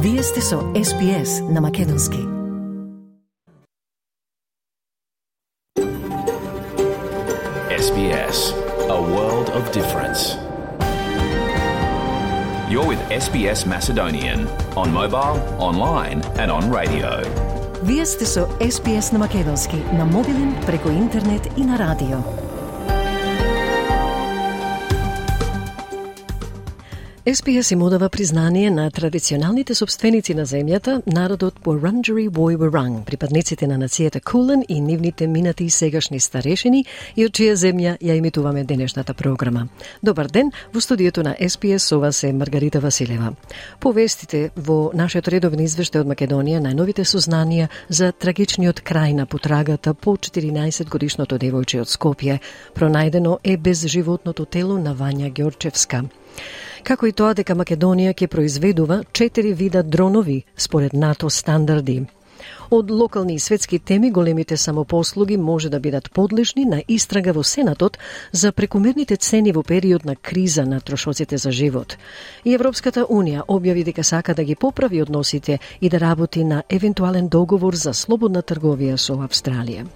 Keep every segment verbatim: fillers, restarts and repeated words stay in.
Вие сте со Ес Би Ес на македонски. Ес Би Ес, a world of difference. You're with Ес Би Ес Macedonian on mobile, online and on radio. Вие сте со Ес Би Ес на македонски, на мобилен, преку интернет и на радио. Ес Би Ес им одава признание на традиционалните собственици на земјата, народот Wurundjeri Woi Wurrung, припадниците на нацијата Кулен и нивните минати и сегашни старешини, и од чија земја ја емитуваме денешната програма. Добар ден, во студиото на Ес Би Ес со вас е Маргарита Василева. Повестите во нашиот редовен извештај од Македонија најновите сознанија за трагичниот крај на потрагата по четиринаесет годишното девојче од Скопје. Пронајдено е безживотното тело на Вања Ѓорчевска. Како и тоа дека Македонија ќе произведува четири вида дронови според НАТО стандарди. Од локални и светски теми големите самопослуги може да бидат подлежни на истрага во Сенатот за прекумерните цени во период на криза на трошоците за живот. И Европската Унија објави дека сака да ги поправи односите и да работи на евентуален договор за слободна трговија со Австралија.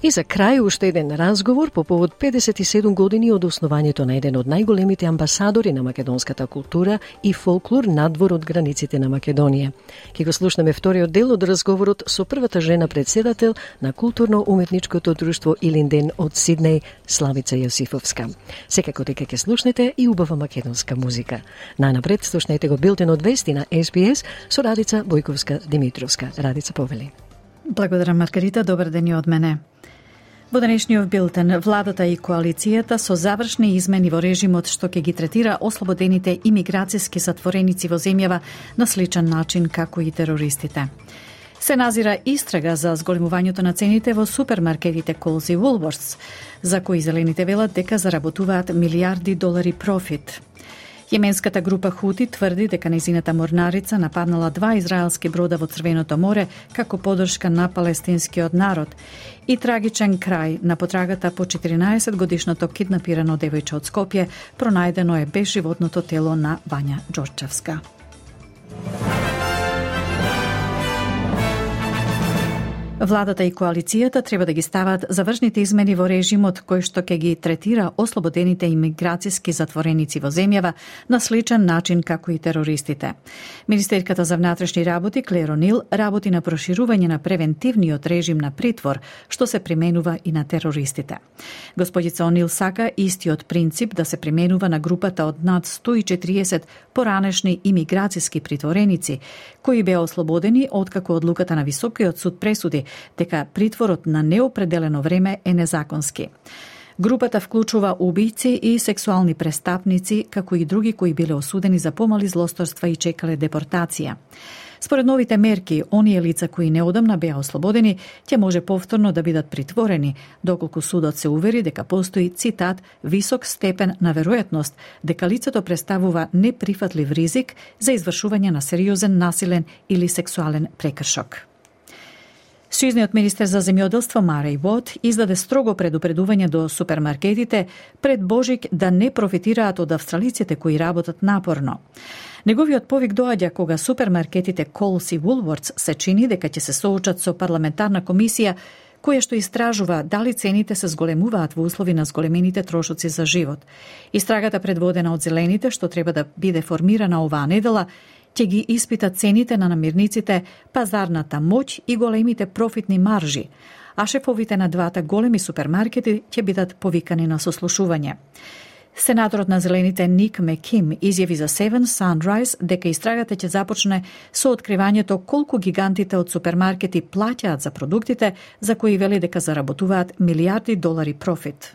И за крај уште еден разговор по повод педесет и седум години од основањето на еден од најголемите амбасадори на македонската култура и фолклор надвор од границите на Македонија. Ке го слушнеме вториот дел од разговорот со првата жена председател на културно-уметничкото друштво Илинден од Сиднеј, Славица Јосифовска. Секако дека ќе слушнете и убава македонска музика. Најнапред слушнете го билтенот вести на Ес Би Ес со Радица Бојковска-Димитровска. Радица, повели. Благодарам, Маргарита. Добар ден и од мене. Во денешниот билтен, владата и коалицијата со завршни измени во режимот што ќе ги третира ослободените имиграцијски затвореници во земјава на сличен начин како и терористите. Се назира истрага за зголемувањето на цените во супермаркетите Coles и Woolworths, за кои зелените велат дека заработуваат милиарди долари профит. Јеменската група Хути тврди дека нејзината морнарица нападнала два израелски брода во Црвеното море како поддршка на палестинскиот народ. И трагичен крај на потрагата по четиринаесет годишното киднапирано девојче од Скопје, пронајдено е безживотното тело на Вања Ѓорчевска. Владата и коалицијата треба да ги стават завршните измени во режимот кој што ќе ги третира ослободените имиграцијски затвореници во земјава на сличен начин како и терористите. Министерката за внатрешни работи Клер О'Нил работи на проширување на превентивниот режим на притвор што се применува и на терористите. Господица О'Нил сака истиот принцип да се применува на групата од над сто и четириесет поранешни имиграцијски притвореници кои беа ослободени откако одлуката на Високиот суд пресуди дека притворот на неопределено време е незаконски. Групата вклучува убијци и сексуални престапници, како и други кои биле осудени за помали злосторства и чекале депортација. Според новите мерки, оние лица кои неодамна беа ослободени, ќе може повторно да бидат притворени, доколку судот се увери дека постои, цитат, висок степен на веројатност дека лицето представува неприфатлив ризик за извршување на сериозен насилен или сексуален прекршок. Сојузниот министер за земјоделство Мареј Вот издаде строго предупредување до супермаркетите пред Божик да не профитираат од австралиците кои работат напорно. Неговиот повик доаѓа кога супермаркетите Coles и Woolworths се чини дека ќе се соочат со парламентарна комисија која што истражува дали цените се зголемуваат во услови на зголемените трошоци за живот. Истрагата предводена од зелените што треба да биде формирана оваа недела ќе ги испита цените на намирниците, пазарната моќ и големите профитни маржи, а шефовите на двата големи супермаркети ќе бидат повикани на сослушување. Сенаторот на зелените Ник Меким изјави за Seven Sunrise дека истрагата ќе започне со откривањето колку гигантите од супермаркети плаќаат за продуктите за кои вели дека заработуваат милиарди долари профит.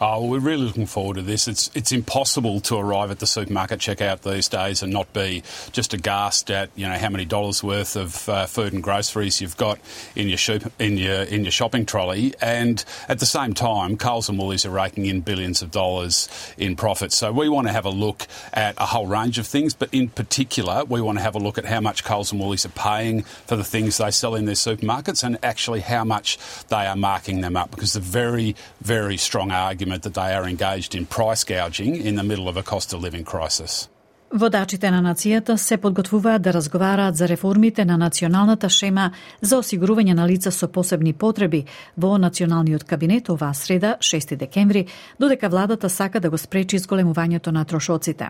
Oh, well, we're really looking forward to this. It's it's impossible to arrive at the supermarket checkout these days and not be just aghast at, you know, how many dollars worth of uh, food and groceries you've got in your shop, in your in your shopping trolley. And at the same time, Coles and Woolies are raking in billions of dollars in profits. So we want to have a look at a whole range of things, but in particular, we want to have a look at how much Coles and Woolies are paying for the things they sell in their supermarkets and actually how much they are marking them up, because the very, very strong argument that they are engaged in price gouging in the middle of a cost of living crisis. Водачите на нацијата се подготвуваат да разговараат за реформите на националната шема за осигурување на лица со посебни потреби во Националниот кабинет оваа среда, шести декември, додека владата сака да го спречи зголемувањето на трошоците.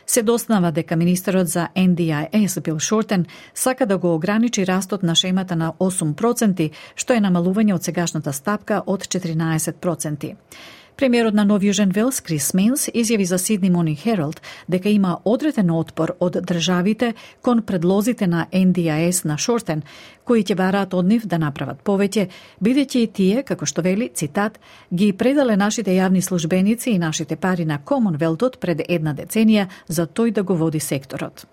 Се доснава дека министерот за Ен Ди Ај Ес Бил Шортен сака да го ограничи растот на шемата на осум проценти, што е намалување од сегашната стапка од четиринаесет проценти. Премиерот на Нов Јужен Велс, Крис Минс, изјави за Сидни Morning Herald дека има одреден отпор од државите кон предлозите на Ен Ди Ај Ес на Шортен, кои ќе бараат од нив да направат повеќе, бидејќи и тие, како што вели, цитат, ги предале нашите јавни службеници и нашите пари на Комонвелтот пред една деценија за тој да го води секторот.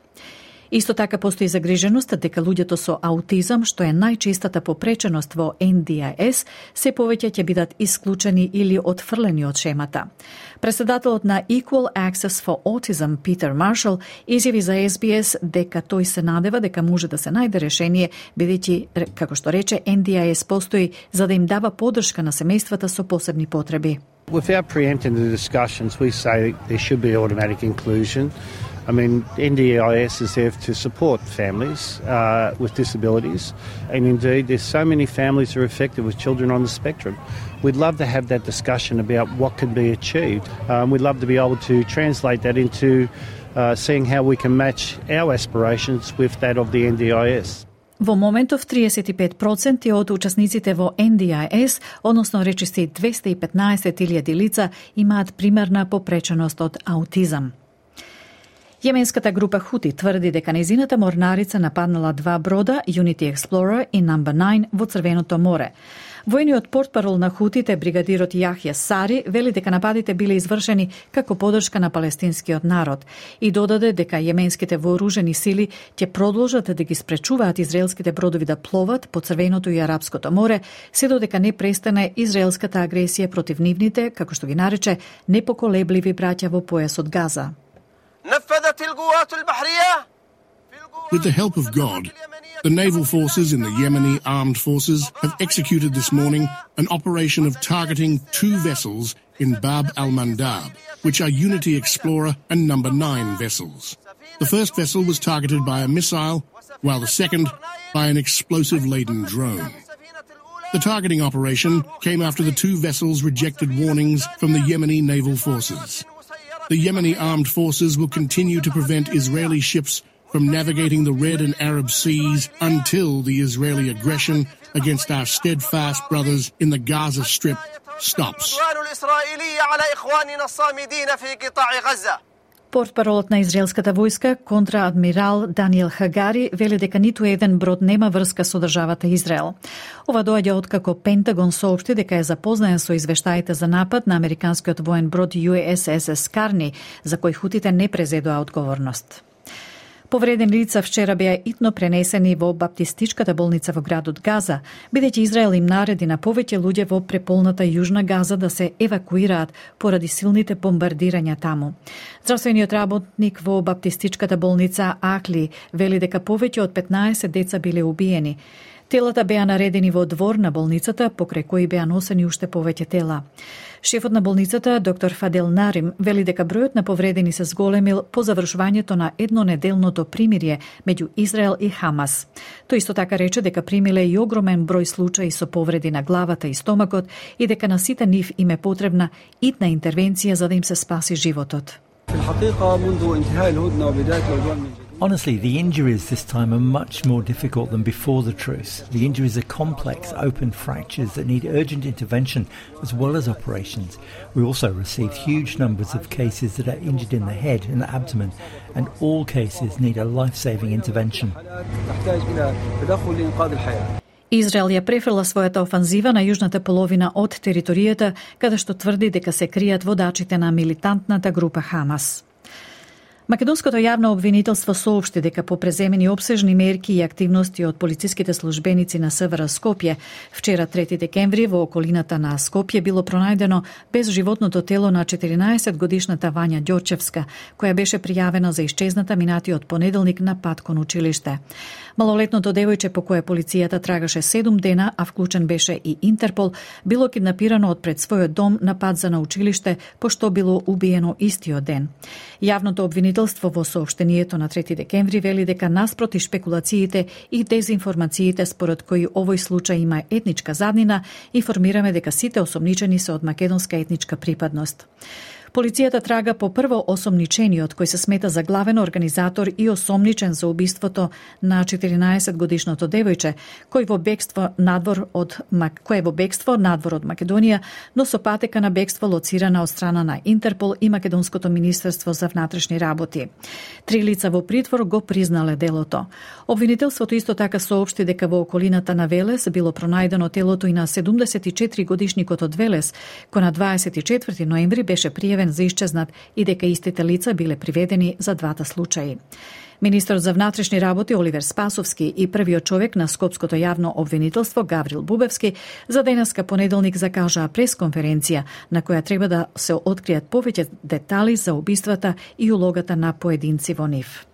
Исто така постои загриженост дека луѓето со аутизам, што е најчестата попреченост во Ен Ди Ај Ес, се повеќе ќе бидат исклучени или отфрлени од шемата. Председателот на Equal Access for Autism, Питер Маршал, изјави за Ес Би Ес дека тој се надева дека може да се најде решение, бидејќи, како што рече, Ен Ди Ај Ес постои за да им дава поддршка на семејствата со посебни потреби. Without preempting the discussions, we say there should be automatic inclusion. I mean, En Di Aј Ес is there to support families uh, with disabilities, and indeed there's so many families that are affected with children on the spectrum. We'd love to have that discussion about what can be achieved. Um, we'd love to be able to translate that into uh, seeing how we can match our aspirations with that of the Ен Ди Ај Ес. Во моментов триесет и пет проценти од учесниците во Ен Ди Ај Ес, односно речиси двесте и петнаесет илјади лица, имаат примерна попреченост од аутизам. Јеменската група Хути тврди дека нејзината морнарица нападнала два брода, Unity Explorer и Number nine, во Црвеното море. Војниот портпарол на Хутите, бригадирот Јахја Сари, вели дека нападите биле извршени како поддршка на палестинскиот народ и додаде дека јеменските вооружени сили ќе продолжат да ги спречуваат израелските бродови да пловат по Црвеното и Арапското море, се додека не престане израелската агресија против нивните, како што ги нарече, непоколебливи браќа во појасот Газа. With the help of God, the naval forces in the Yemeni armed forces have executed this morning an operation of targeting two vessels in Bab al-Mandab, which are Unity Explorer and Number nine vessels. The first vessel was targeted by a missile, while the second by an explosive-laden drone. The targeting operation came after the two vessels rejected warnings from the Yemeni naval forces. The Yemeni armed forces will continue to prevent Israeli ships from navigating the Red and Arab seas until the Israeli aggression against our steadfast brothers in the Gaza Strip stops. Портпаролот на израелската војска, контраадмирал Даниел Хагари, вели дека ниту еден брод нема врска со државата Израел. Ова доаѓа откако Пентагон соопшти дека е запознаен со извештаите за напад на американскиот воен брод Ю Ес Ес Ес Карни, за кој хутите не презедоа одговорност. Повредени лица вчера беа итно пренесени во баптистичката болница во градот Газа, бидејќи Израел им нареди на повеќе луѓе во преполната јужна Газа да се евакуираат поради силните бомбардирања таму. Здравствениот работник во баптистичката болница Акли вели дека повеќе од петнаесет деца биле убиени. Телата беа наредени во двор на болницата, покрај кои беа носени уште повеќе тела. Шефот на болницата, доктор Фадел Нарим, вели дека бројот на повредени се зголемил по завршувањето на еднонеделното примирие меѓу Израел и Хамас. Тој исто така рече дека примиле и огромен број случаи со повреди на главата и стомакот и дека на сите нив им е потребна итна интервенција за да им се спаси животот. Honestly, the injuries this time are much more difficult than before the truce. The injuries are complex, open fractures that need urgent intervention as well as operations. We also received huge numbers of cases that are injured in the head and the abdomen, and all cases need a life-saving intervention. Израел ја префрла својата офанзива на јужната половина од територијата, каде што тврди дека се кријат водачите на милитантната група Хамас. Македонското јавно обвинителство соопшти дека по преземени опсежни мерки и активности од полициските службеници на СВР Скопје, вчера трети декември во околината на Скопје било пронајдено безживотното тело на четиринаесет годишната Вања Ѓорчевска, која беше пријавена за исчезната минатиот понеделник на пат кон училиште. Малолетното девојче по кое полицијата трагаше седум дена, а вклучен беше и Интерпол, било киднапирано од пред својот дом на пат за на училиште, пошто било убиено истиот ден. Јавното обвинителство обвинителство во соопштението на трети декември вели дека наспроти шпекулациите и дезинформациите според кои овој случај има етничка заднина, информираме дека сите осомничени се од македонска етничка припадност. Полицијата трага по прво осомничениот, кој се смета за главен организатор и осомничен за убиството на четиринаесет годишното девојче, кој во бегство надвор од кој е во бегство надвор од Македонија, но со патека на бегство лоцирана од страна на Интерпол и Македонското министерство за внатрешни работи. Три лица во притвор го признале делото. Обвинителството исто така соопшти дека во околината на Велес било пронајдено телото и на седумдесет и четири годишникот од Велес, кој на дваесет и четврти ноември беше пријавен за исчезнат и дека истите лица биле приведени за двата случаи. Министерот за внатрешни работи Оливер Спасовски и првиот човек на Скопското јавно обвинителство Гаврил Бубевски за денеска понеделник закажаа пресконференција на која треба да се откријат повеќе детали за убиствата и улогата на поединци во нив.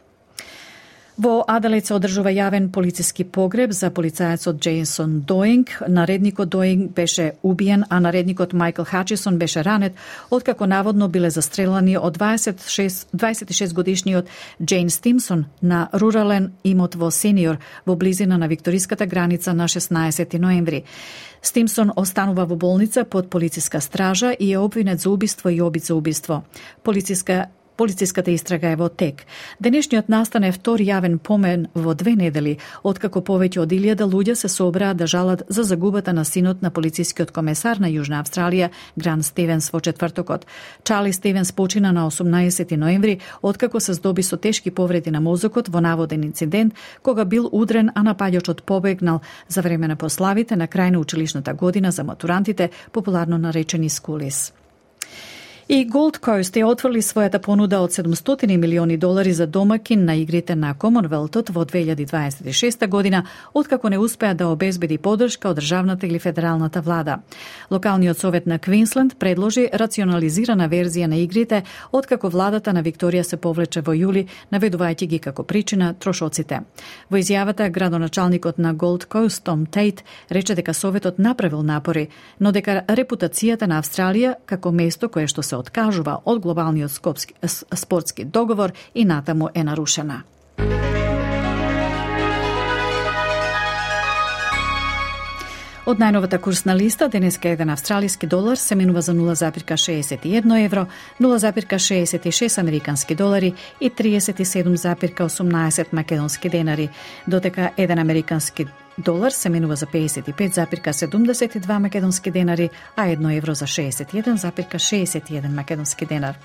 Во Аделаид се одржува јавен полициски погреб за полицајецот Джейсон Доинг. Наредникот Доинг беше убиен, а наредникот Майкл Хачисон беше ранет, откако наводно биле застрелани од дваесет и шест годишниот Джейн Стимсон на рурален имот во Сениор, во близина на викториската граница на шеснаесети ноември. Стимсон останува во болница под полициска стража и е обвинет за убиство и обид за убиство. Полициска Полициската истрага е во тек. Денешниот настан е втор јавен помен во две недели, откако повеќе од илјада луѓе се собраа да жалат за загубата на синот на полицискиот комесар на Јужна Австралија, Грант Стивенс, во четвртокот. Чарли Стивенс почина на осумнаесети ноември, откако се здоби со тешки повреди на мозокот во наводен инцидент, кога бил удрен, а напаѓачот побегнал за време на прославите на крај на училишната година за матурантите, популарно наречени скулис. И Gold Coast е отворили својата понуда од седумстотини милиони долари за домакин на игрите на Комонвелтот во две илјади дваесет и шеста година, откако не успеа да обезбеди поддршка од државната или федералната влада. Локалниот совет на Квинсленд предложи рационализирана верзија на игрите, откако владата на Викторија се повлече во јули, наведувајќи ги како причина трошоците. Во изјавата, градоначалникот на Gold Coast Том Тейт рече дека советот направил напори, но дека репутацијата на Австралија како место кое што се откажува од глобалниот скопски, спортски договор и натаму е нарушена. Од најновата курсна листа, денеска еден австралиски долар се менува за нула запирка шеесет и едно евро, нула запирка шеесет и шест американски долари и триесет и седум запирка осумнаесет македонски денари, додека еден американски долар се менува за пеесет и пет запирка седумдесет и два македонски денари, а едно евро за шеесет и еден запирка шеесет и еден македонски денар.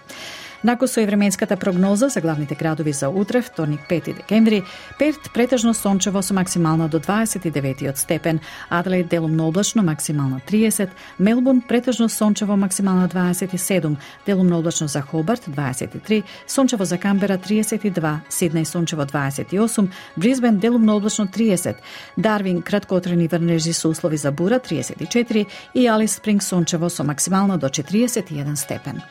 Нако со временската прогноза за главните градови за утре, вторник пети декември, Перт претежно сончево со максимална до дваесет и деветиот степен, Аделаид делумно облачно максимална триесет, Мелбурн претежно сончево максимална дваесет и седум, делумно облачно за Хобарт дваесет и три, сончево за Камбера триесет и два, Сиднеј сончево дваесет и осум, Брисбен делумно облачно триесет, Дарвин краткоотрени врнежи со услови за бура триесет и четири и Алис Спринг сончево со максимално до четириесет и еден степен.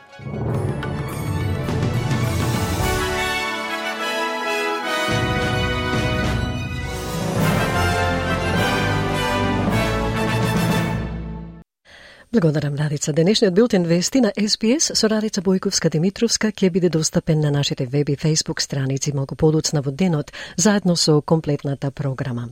Благодарам, Радица. Денешниот билтен вести на Ес Би Ес со Радица Бојковска-Димитровска ќе биде достапен на нашите веб и фејсбук страници малку подоцна во денот, заедно со комплетната програма.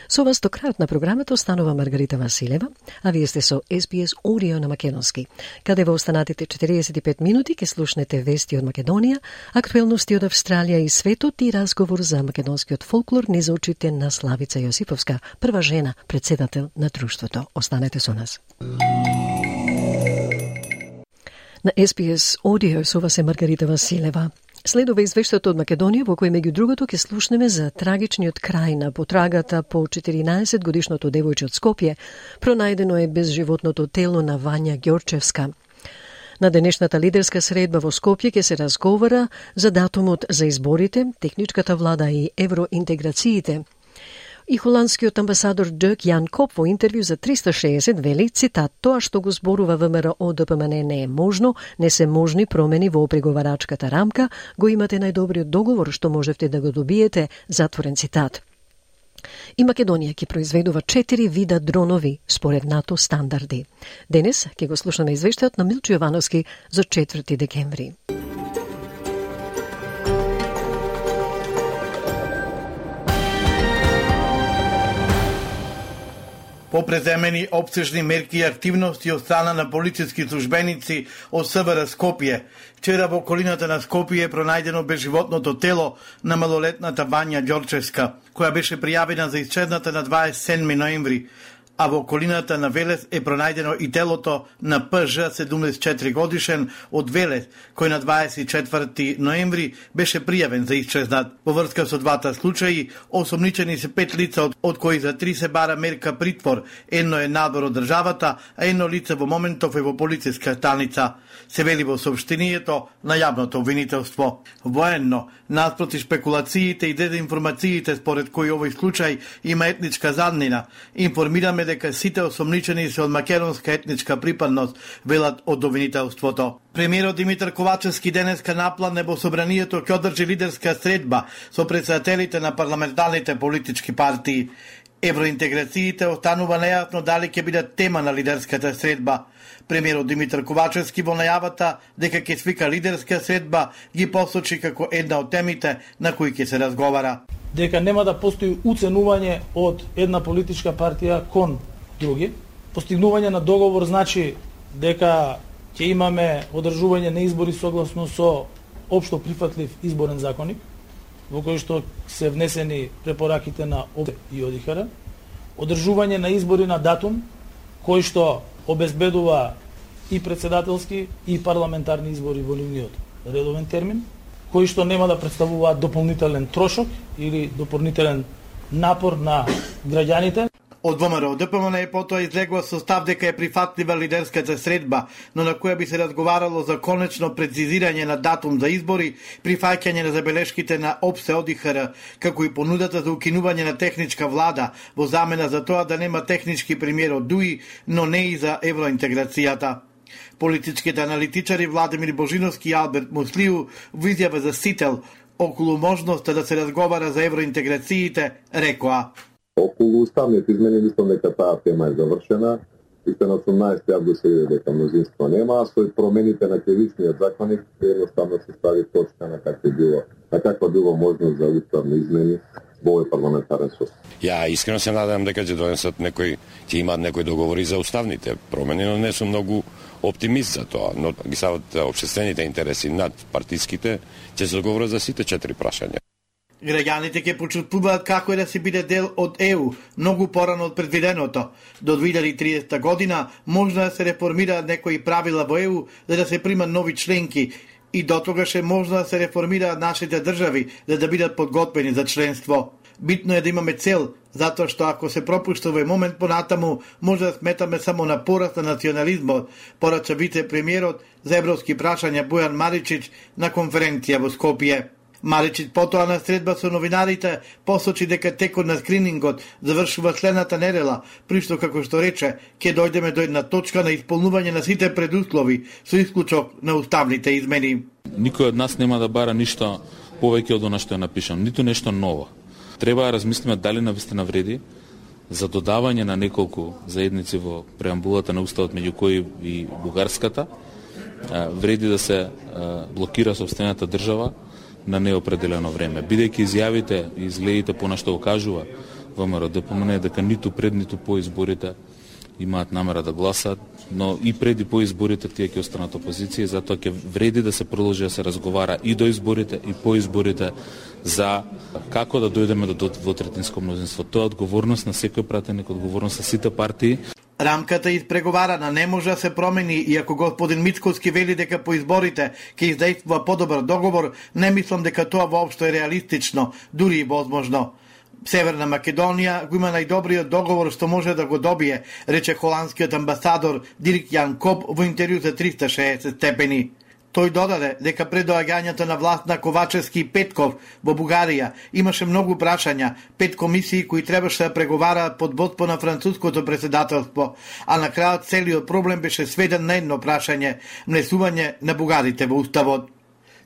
Со вас до крајот на програмата останува Маргарита Василева, а вие сте со Ес Би Ес Audio на македонски, каде во останатите четириесет и пет минути ќе слушнете вести од Македонија, актуелности од Австралија и светот и разговор за македонскиот фолклор низ очите на Славица Јосиповска, прва жена претседател на друштвото. Останете со нас. На Ес Би Ес Audio со вас е Маргарита Василева. Следува извештајот од Македонија, во кој меѓу другото ќе слушнеме за трагичниот крај на потрагата по четиринаесет годишното девојче од Скопје, пронајдено е безживотното тело на Вања Ѓорчевска. На денешната лидерска средба во Скопје ќе се разговара за датумот за изборите, техничката влада и евроинтеграциите. И холандскиот амбасадор Дирк Јан Коп во интервју за триста и шеесет вели, цитат, тоа што го зборува ВМРО Д П М Н не е можно, не се можни промени во преговарачката рамка, го имате најдобриот договор што можевте да го добиете, затворен цитат. И Македонија ќе произведува четири вида дронови според НАТО стандарди. Денес ќе го слушаме извештајот на Милчо Јовановски за четврти декември. Попреземени обсежни мерки и активности од страна на полициски службеници од СВР Скопје. Вчера во околината на Скопје е пронајдено безживотното тело на малолетната Вања Ѓорчевска, која беше пријавена за исчезната на дваесет и седми ноември, а во околината на Велес е пронајдено и телото на П Ж седумдесет и четири годишен од Велес, кој на дваесет и четврти ноември беше пријавен за исчезнат. Во врска со двата случаи, осомничени се пет лица, од, од кои за три се бара мерка притвор, едно е надвор од државата, а едно лице во моментов е во полициска станица. Се вели во соопштението на јавното обвинителство. Военно, наспроти шпекулациите и дезинформациите според кои овој случај има етничка заднина, информираме дека сите осомничени се од македонска етничка припадност, велат од обвинителството. Премиерот Димитар Ковачевски денеска наплане во собранието ќе одржи лидерска средба со претседателите на парламентарните политички партии. Евроинтеграциите останува нејасно дали ќе бидат тема на лидерската средба. Премиерот Димитар Ковачевски во најавата дека ќе свика лидерска средба ги посочи како една од темите на кои ќе се разговара. Дека нема да постои уценување од една политичка партија кон други. Постигнување на договор значи дека ќе имаме одржување на избори согласно со општо прифатлив изборен законник, во кој што се внесени препораките на О Б и О Д И Х Р, одржување на избори на датум, кој што обезбедува и председателски и парламентарни избори во нивниот редовен термин, кои што нема да представуваат дополнителен трошок или дополнителен напор на граѓаните. Од Во М Р Д П М Н потоа излегува со став дека е прифатлива лидерската средба, но на која би се разговарало за конечно прецизирање на датум за избори, прифаќање на забелешките на О Б С О Д И Х Р, како и понудата за укинување на техничка влада во замена за тоа да нема технички премиер од Д У И, но не и за евроинтеграцијата. Политичките аналитичари Владимир Божиновски и Алберт Муслиу во изјава за Сител околу можноста да се разговара за евроинтеграциите рекоа: Околу уставните измени мислам дека таа тема е завршена и се на осумнаесети август се види дека мнозинство нема, а со промените на кривичниот законник едноставно се стави точка на каква било, на каква било можност за уставни измени во овој парламентарен состав. Ја искрено се надевам дека ќе донесат некој, ќе имаат некои договори за уставните промени, но не сум многу оптимист за тоа, но ги стават општествените интереси над партиските, ќе се договорат за сите четири прашања. Граѓаните ќе почувствуваат како е да се биде дел од Е У, многу порано од предвиденото. До две илјади и тридесета година може да се реформираат некои правила во Е У за да се примат нови членки и до тогаш е можно да се реформираат нашите држави за да бидат подготвени за членство. Битно е да имаме цел, затоа што ако се пропушти овој момент понатаму, може да сметаме само на пораст на национализмот, порача вице-премиерот за европски прашања Бојан Маричич на конференција во Скопје. Маричич потоа на средба со новинарите посочи дека текот на скринингот завршува следната недела, при што, како што рече, ќе дојдеме до една точка на исполнување на сите предуслови со исклучок на уставните измени. Никој од нас нема да бара ништо повеќе од она што е напишано, ниту нешто ново. Треба да размислиме дали навистина вреди за додавање на неколку заедници во преамбулата на уставот, меѓу кои и бугарската, вреди да се блокира сопствената држава на неопределено време. Бидејќи изјавите и изгледите по нашто окажува Во М Р Д П М Н дека ниту пред ниту по изборите имаат намера да гласат, но и пред и по изборите тие ќе останат опозиција, затоа ќе вреди да се продолжи да се разговара и до изборите и по изборите за како да дојдеме до двотретинско мнозинство. Тоа е одговорност на секој пратеник, одговорност на сите партии. Рамката испреговарана не може да се промени и ако господин Мицковски вели дека по изборите ќе издействува подобар договор, не мислам дека тоа воопшто е реалистично, дури и возможно. Северна Македонија го има најдобриот договор што може да го добие, рече холандскиот амбасадор Дирк Јан Коп во интервју за триста и шеесет степени. Тој додаде дека пред доаѓањето на власт на Ковачевски и Петков во Бугарија имаше многу прашања, пет комисии кои требаше да преговараат под водство на француското председателство, а на крајот целиот проблем беше сведен на едно прашање – внесување на бугарите во уставот.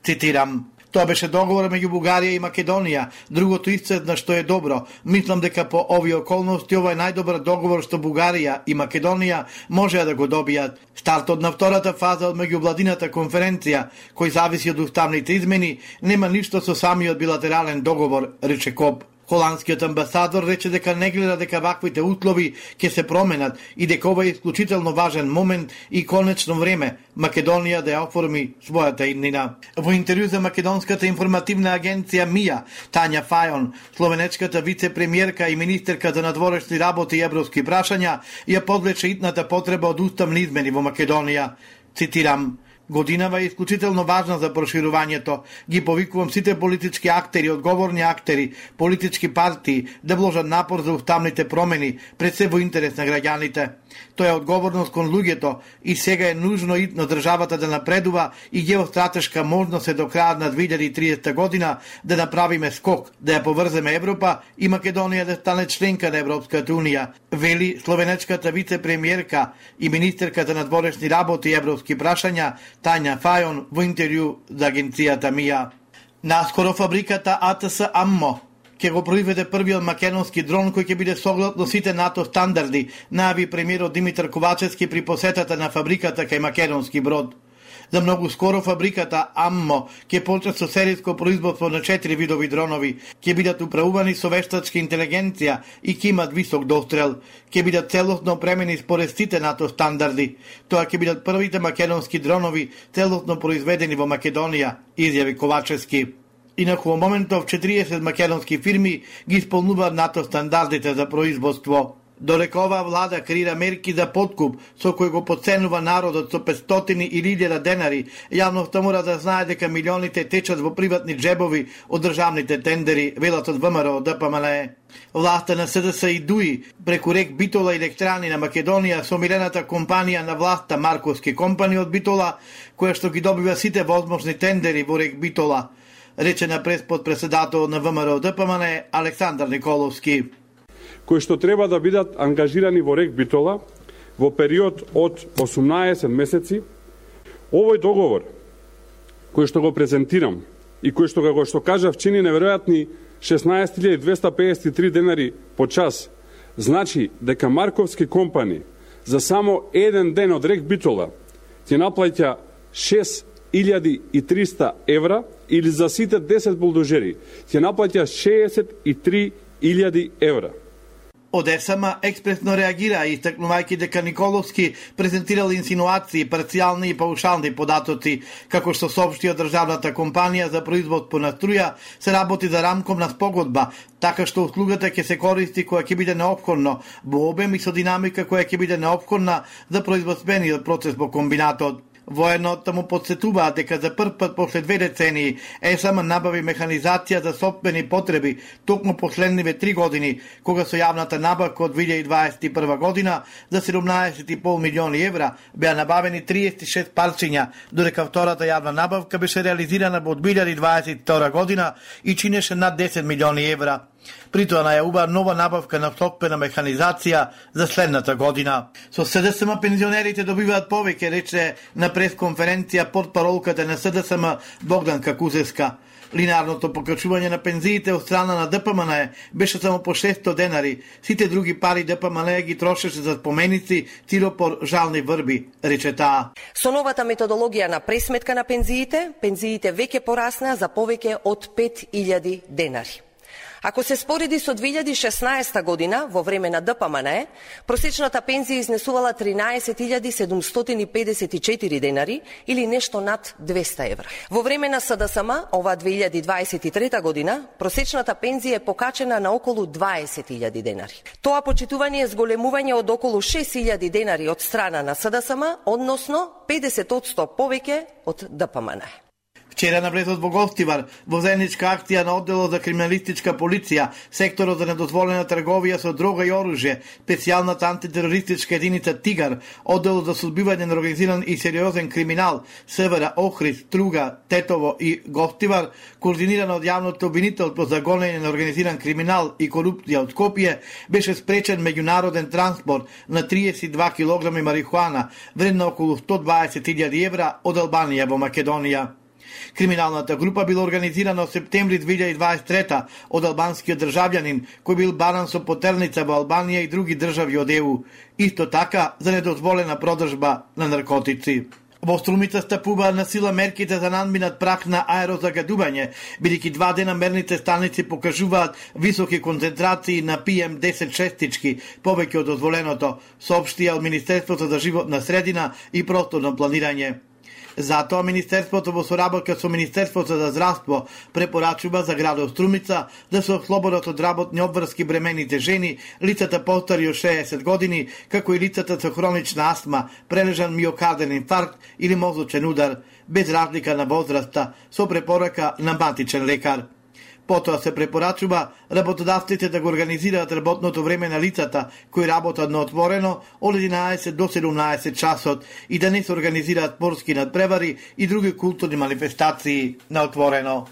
Цитирам: Тоа беше договор меѓу Бугарија и Македонија. Другото исцедна што е добро. Мислам дека по овие околности ова е најдобар договор што Бугарија и Македонија може да го добијат. Стартот на втората фаза од меѓувладината конференција, кој зависи од уставните измени, нема ништо со самиот билатерален договор, рече Коп. Холандскиот амбасадор рече дека не гледа дека ваквите услови ќе се променат и дека ова е исклучително важен момент и конечно време Македонија да ја оформи својата иднина. Во интервју за македонската информативна агенција МИА, Тања Фајон, словенечката вице-премиерка и министерка за надворешни работи и европски прашања, ја подвлече итната потреба од уставни измени во Македонија. Цитирам: "Годинава е исклучително важна за проширувањето. Ги повикувам сите политички актери, одговорни актери, политички партии да вложат напор за уставните промени, пред се во интерес на граѓаните. Тоа е одговорност кон луѓето и сега е нужно итно државата да напредува и геостратешка можност е до крајот на две илјади и триесета година да направиме скок, да ја поврземе Европа и Македонија да стане членка на Европската унија", вели словенечката вице-премиерка и министерка за надворешни работи и европски прашања Тања Фајон во интервју за агенцијата МИА. Наскоро фабриката А Т С Аммо ќе го произведе првиот македонски дрон кој ќе биде согласно сите НАТО стандарди, најави премиерот Димитар Ковачевски при посетата на фабриката кај македонски брод. За многу скоро фабриката Аммо ќе почне со серијско производство на четири видови дронови, ќе бидат управувани со вештачка интелигенција и ќе имат висок дострел, ќе бидат целосно опремени според сите НАТО стандарди. Тоа ќе бидат првите македонски дронови целосно произведени во Македонија, изјави Ковачевски. Инаку во моментов четириесет македонски фирми ги исполнуваат НАТО стандардите за производство. Додека оваа влада креира мерки за подкуп со кој го потценува народот со петстотини или илјада денари, јавноста мора да знае дека милионите течат во приватни джебови од државните тендери, велат од ВМРО Д П М Н Е. Власта на С Д С и Дуи преку Рек Битола и Електрани на Македонија со милената компанија на власта Марковски компани од Битола, која што ги добива сите возможни тендери во Рек Битола, рече на пресподпредседател на ВМРО Д П М Н Е Александар Николовски, кои што треба да бидат ангажирани во Рек Битола во период од осумнаесет месеци. Овој договор, кој што го презентирам и кој што го што кажав чини неверојатни шеснаесет илјади двесте педесет и три денари по час, значи дека Марковски компани за само еден ден од Рек Битола ќе наплаќа шест илјади и триста евра, или за сите десет булдожери ќе наплаќа шеесет и три илјади евра. Од С М експресно реагира, истакнувајќи дека Николовски презентирал инсинуации, парцијални и паушални податоци, како што соопшти од државната компанија за производство на струја, се работи за рамковна спогодба, така што услугата ќе се користи која ќе биде неопходно во обем и со динамика која ќе биде неопходна за производствениот процес во комбинатот. Воено таму подсетуваат дека за прв пат после две децении С М набави механизација за сопствени потреби токму последниве три години, кога со јавната набавка од две илјади дваесет и прва година за седумнаесет и пол милиони евра беа набавени триесет и шест парчиња, додека втората јавна набавка беше реализирана во две илјади дваесет и втора година и чинеше над десет милиони евра. При тоа најавува нова набавка на сопствена механизација за следната година. Со С Д С М пензионерите добиваат повеќе, рече на пресконференција портпаролката на С Д С М Богданка Кузевска. Линарното покачување на пензиите од страна на Д П М Н Е беше само по шестстотини денари. Сите други пари Д П М Н Е ги трошеше за споменици, тиропор, жални врби, рече таа. Со новата методологија на пресметка на пензиите, пензиите веќе пораснаа за повеќе од пет илјади денари. Ако се спореди со две илјади и шеснаесета година, во време на Д П М Н Е, просечната пензија изнесувала тринаесет илјади седумстотини педесет и четири денари или нешто над двесте евра. Во време на С Д С М, ова две илјади дваесет и трета година, просечната пензија е покачена на околу дваесет илјади денари. Тоа почитување е зголемување од околу шест илјади денари од страна на С Д С М, односно педесет одсто повеќе од Д П М Н Е. Вчера на влезот во Гостивар, во заедничка акција на одделот за криминалистичка полиција, секторот за недозволена трговија со дрога и оружје, специјалната антитерористичка единица Тигар, одделот за судбивање на организиран и сериозен криминал, Севера, Охрид, Струга, Тетово и Гостивар, координирано од јавното обвинителство за гонење на организиран криминал и корупција од Скопје, беше спречен меѓународен транспорт на триесет и два килограми марихуана, вредна околу сто дваесет илјади евра од Албанија во Македонија. Криминалната група била организирана од септември две илјади дваесет и трета од албанскиот државјанин кој бил баран со потерница во Албанија и други држави од Е У, исто така за недозволена продржба на наркотици. Во Струмица стапуваат на сила мерките за надминат прак на аерозагадување, бидејќи два дена мерните станици покажуваат високи концентрации на пи ем десет шестички, повеќе од дозволеното, соопштија од Министерството за животна средина и просторно планирање. Затоа Министерството во соработка со Министерството за здравство препорачува за градот Струмица да се ослободат од работни обврски бремените жени, лицата постари од шеесет години, како и лицата со хронична астма, прележан миокарден инфаркт или мозочен удар, без разлика на возраста, со препорака на матичен лекар. Потоа се препорачува работодавците да го организираат работното време на лицата кои работат на отворено од единаесет до седумнаесет часот и да не се организираат спортски надпревари и други културни манифестации на отворено.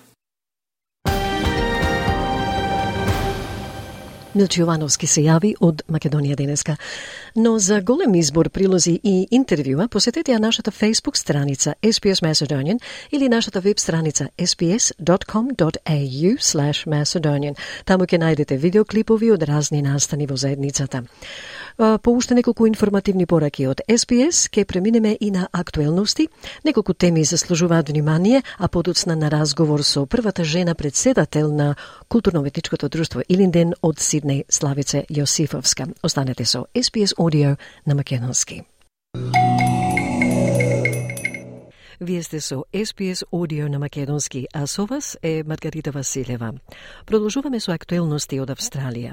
Милчо Јовановски се јави од Македонија денеска. Но за голем избор прилози и интервјуа посетете ја нашата Facebook страница S B S Macedonian или нашата веб страница s b s dot com dot a u slash macedonian. Таму ќе најдете видеоклипови од разни настани во заедницата. По уште неколку информативни пораки од S B S ќе преминеме и на актуелности. Неколку теми заслужуваат внимание, а подоцна на разговор со првата жена председател на културно-уметничкото друштво Илинден од Сиднеј, Славице Јосифовска. Останете со S B S Audio на македонски. Вие сте со S B S Audio на македонски, а со вас е Маргарита Василева. Продолжуваме со актуелности од Австралија.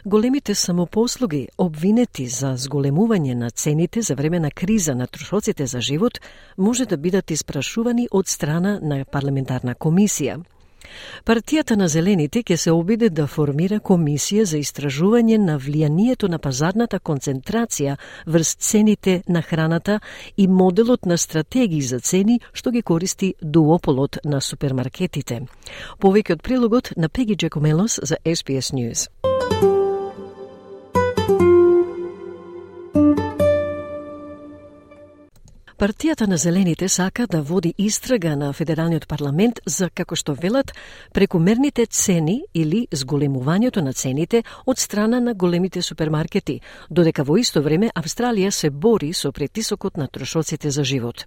Големите самопослуги, обвинети за зголемување на цените за време на криза на трошоците за живот, може да бидат испрашувани од страна на парламентарна комисија. Партијата на Зелените ќе се обиде да формира комисија за истражување на влијанието на пазарната концентрација врз цените на храната и моделот на стратегии за цени што ги користи дуополот на супермаркетите. Повеќе од прилогот на Пеги Джекомелос за S B S News. Партијата на Зелените сака да води истрага на Федералниот парламент за, како што велат, прекумерните цени или зголемувањето на цените од страна на големите супермаркети, додека во исто време Австралија се бори со притисокот на трошоците за живот.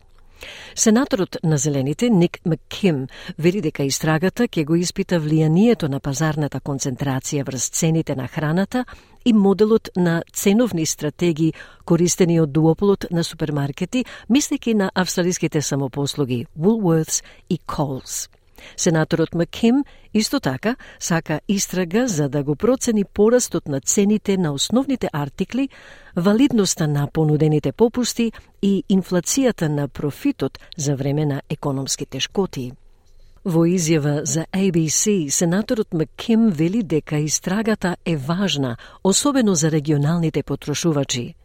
Сенаторот на Зелените Ник Макким вели дека истрагата ќе го испита влијанието на пазарната концентрација врз цените на храната и моделот на ценовни стратегии користени од дуополот на супермаркети, мислејќи на австралиските самопослуги Woolworths и Coles. Сенаторот Макким исто така сака истрага за да го процени порастот на цените на основните артикли, валидноста на понудените попусти и инфлацијата на профитот за време на економски тешкоти. Во изјава за A B C, сенаторот Макким вели дека истрагата е важна, особено за регионалните потрошувачи.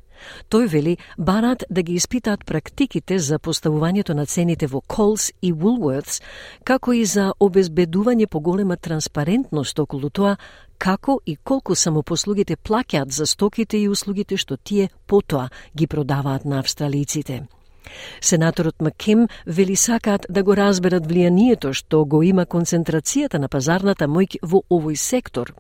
Тој вели барат да ги испитаат практиките за поставувањето на цените во Coles и Woolworths, како и за обезбедување поголема транспарентност околу тоа како и колку самопослугите плаќаат за стоките и услугите што тие потоа ги продаваат на австралиците. Сенаторот Макким вели сакаат да го разберат влијанието што го има концентрацијата на пазарната моќ во овој сектор.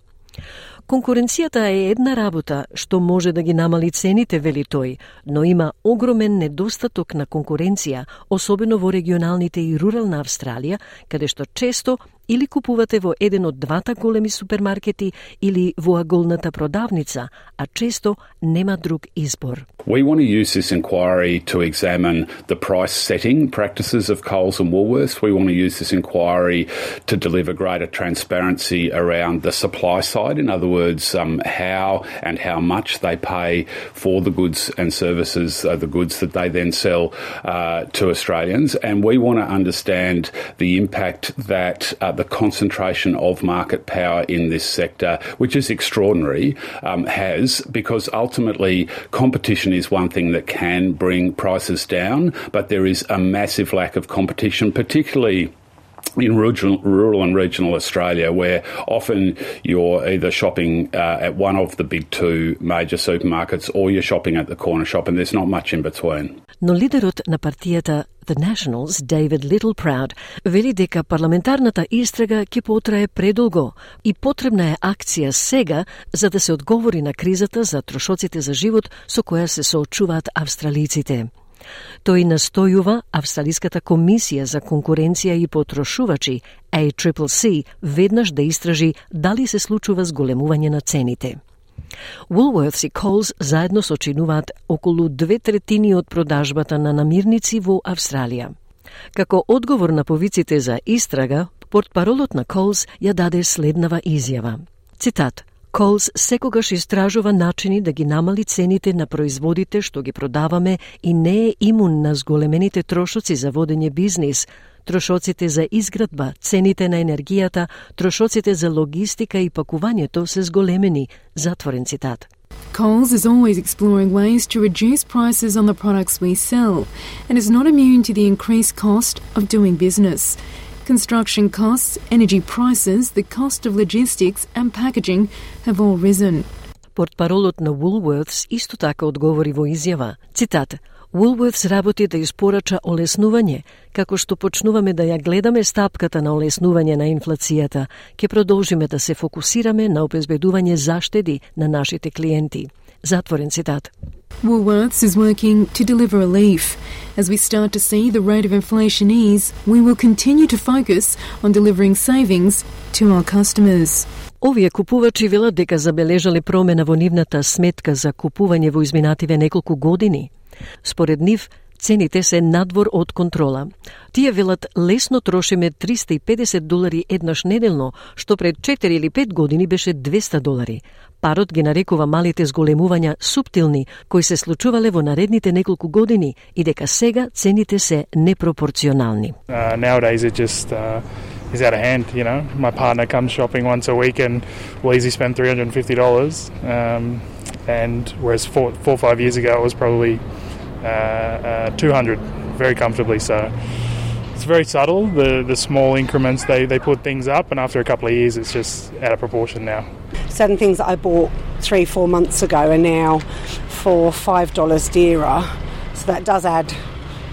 Конкуренцијата е една работа што може да ги намали цените, вели тој, но има огромен недостаток на конкуренција, особено во регионалните и рурална Австралија, каде што често или купувате во еден од двата големи супермаркети или во аголната продавница, а често нема друг избор. We want to use this inquiry to examine the price setting practices of Coles and Woolworths. We want to use this inquiry to deliver greater transparency around the supply side. In other words, um, how and how much they pay for the goods and services, uh, the goods that they then sell uh, to Australians. And we want to understand the impact that uh, the concentration of market power in this sector, which is extraordinary, um, has, because ultimately competition is one thing that can bring prices down, but there is a massive lack of competition, particularly in rural, rural and regional Australia, where often you're either shopping uh, at one of the big two major supermarkets or you're shopping at the corner shop, and there's not much in between. Но лидерот на партијата The Nationals, David Littleproud, вели дека парламентарната истрага ќе потрае предолго и потребна е акција сега за да се одговори на кризата за трошоците за живот со која се соочуваат австралиците. Тој настојува Австралиската комисија за конкуренција и потрошувачи А Си Си Си веднаш да истражи дали се случува зголемување на цените. Woolworths и Coles заедно сочинуваат околу две третини од продажбата на намирници во Австралија. Како одговор на повиците за истрага, портпаролот на Coles ја даде следнава изјава. Цитат: Coles секогаш истражува начини да ги намали цените на производите што ги продаваме и не е имун на зголемените трошоци за водење бизнис, трошоците за изградба, цените на енергијата, трошоците за логистика и пакувањето се зголемени, затворен цитат. Coles is always exploring ways to reduce prices on the products we sell and is not immune to the increased cost of doing business. Construction costs, energy prices, the cost of logistics and packaging have all risen. Портпаролот на Woolworths исто така одговори во изјава, цитат: Woolworths работи да испорача олеснување, како што почнуваме да ја гледаме стапката на олеснување на инфлацијата, ќе продолжиме да се фокусираме на обезбедување заштеди на нашите клиенти. Затворен цитат. Woolworths is working to deliver relief. As we start to see the rate of inflation ease, we will continue to focus on delivering savings to our customers. Овие купувачи велат дека забележале промена во нивната сметка за купување во изминативе неколку години. Според нив, цените се надвор од контрола. Тие велат лесно трошиме триста и педесет долари еднаш неделно, што пред четири или пет години беше двеста долари. Парот ги нарекува малите зголемувања суптилни, кои се случувале во наредните неколку години и дека сега цените се непропорционални. Uh, nowadays it just uh, is out of hand, you know. My partner comes shopping once a week and will easily spend three hundred fifty dollars. Um, and whereas four, four or five years ago it was probably uh, uh, two hundred very comfortably. So it's very subtle, the the small increments they, they put things up, and after a couple of years it's just out of proportion now. Certain things that I bought three, four months ago are now for five dollars dearer, so that does add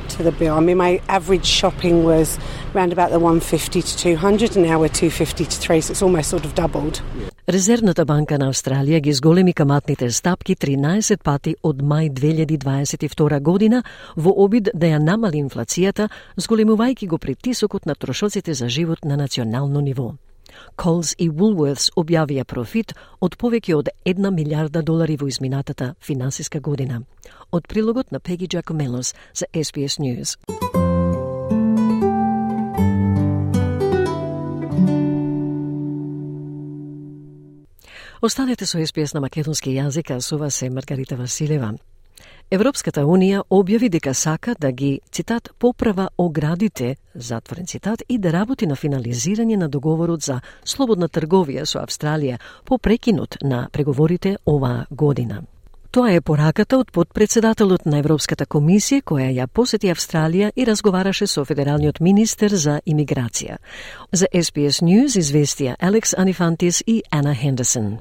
to the bill. I mean, my average shopping was around about the one fifty to two hundred, and now we're two fifty to three, so it's almost sort of doubled. Резервната банка на Австралија ги зголеми каматните стапки тринаесет пати од мај две илјади дваесет и втора година во обид да ја намали инфлацијата, зголемувајќи го притисокот на трошоците за живот на национално ниво. Coles и Woolworths објавија профит од повеќе од една милијарда долари во изминатата финансиска година. Од прилогот на Пеги Джакомелос за Ес Би Ес News. Останете со Ес Би Ес на македонски јазик, а со вас е Маргарита Василева. Европската Унија објави дека сака да ги, цитат, поправа оградите, затворен цитат, и да работи на финализирање на договорот за слободна трговија со Австралија по прекинот на преговорите оваа година. Тоа е пораката од подпредседателот на Европската комисија која ја посети Австралија и разговараше со федералниот министер за имиграција. За Ес Би Ес News известија Алекс Анифантис и Ана Хендерсон.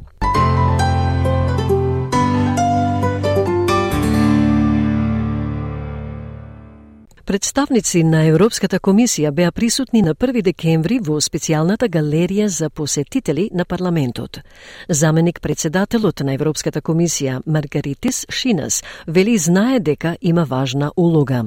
Представници на Европската комисија беа присутни на први декември во специјалната галерија за посетители на парламентот. Заменик председателот на Европската комисија Маргаритис Шинас вели знае дека има важна улога.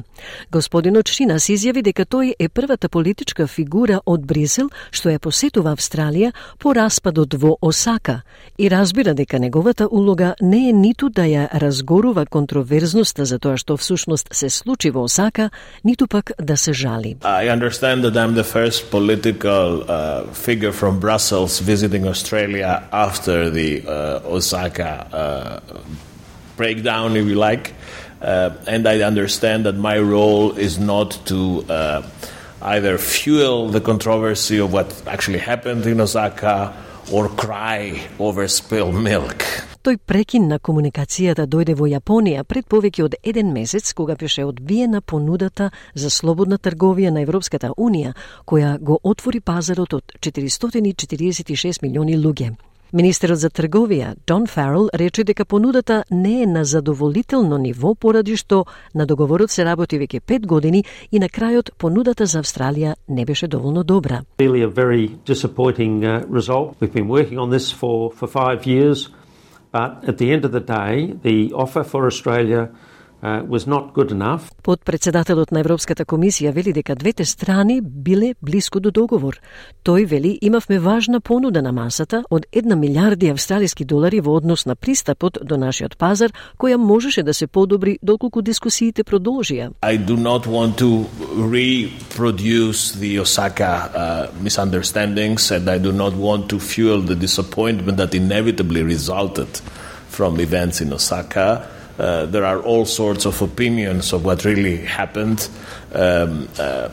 Господинот Шинас изјави дека тој е првата политичка фигура од Брисел што ја посетува Австралија по распадот во Осака и разбира дека неговата улога не е ниту да ја разгорува контроверзноста за тоа што всушност се случи во Осака, ниту пак да се жали. I understand that I'm the first political uh, figure from Brussels visiting Australia after the uh, Osaka uh, breakdown, if you like. Uh, and I understand that my role is not to uh, either fuel the controversy of what actually happened in Osaka or cry over spilled milk. Тој прекин на комуникацијата дојде во Јапонија пред повеќе од еден месец, кога беше одбиена понудата за слободна трговија на Европската Унија, која го отвори пазарот од четиристотини и четиридесет и шест милиони луѓе. Министерот за трговија, Дон Фарел, рече дека понудата не е на задоволително ниво, поради што на договорот се работи веќе пет години и на крајот понудата за Австралија не беше доволно добра. Really a very disappointing uh, result. We've been working on this for for five years. But at the end of the day, the offer for Australia uh, was not good enough. Подпредседателот на Европската комисија вели дека двете страни биле блиско до договор. Тој вели имавме важна понуда на масата од една милиарди австралиски долари во однос на пристапот до нашиот пазар, која можеше да се подобри доколку дискусиите продолжија. I do not want to reproduce the Osaka uh, misunderstandings, and I do not want to fuel the disappointment that inevitably resulted from events in Osaka. Uh, there are all sorts of opinions of what really happened. Um, uh,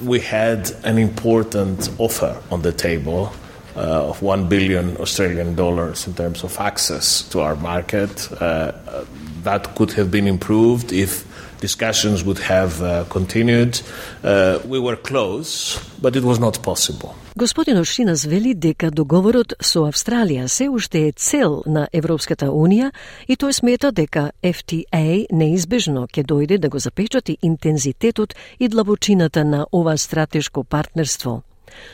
we had an important offer on the table uh, of one billion Australian dollars in terms of access to our market. Uh, that could have been improved if discussions would have uh, continued. Uh, we were close, but it was not possible. Господинот Шинас вели дека договорот со Австралија се уште е цел на Европската Унија и тој смета дека Еф Ти Ей неизбежно ќе дојде да го запечати интензитетот и длабочината на ова стратешко партнерство.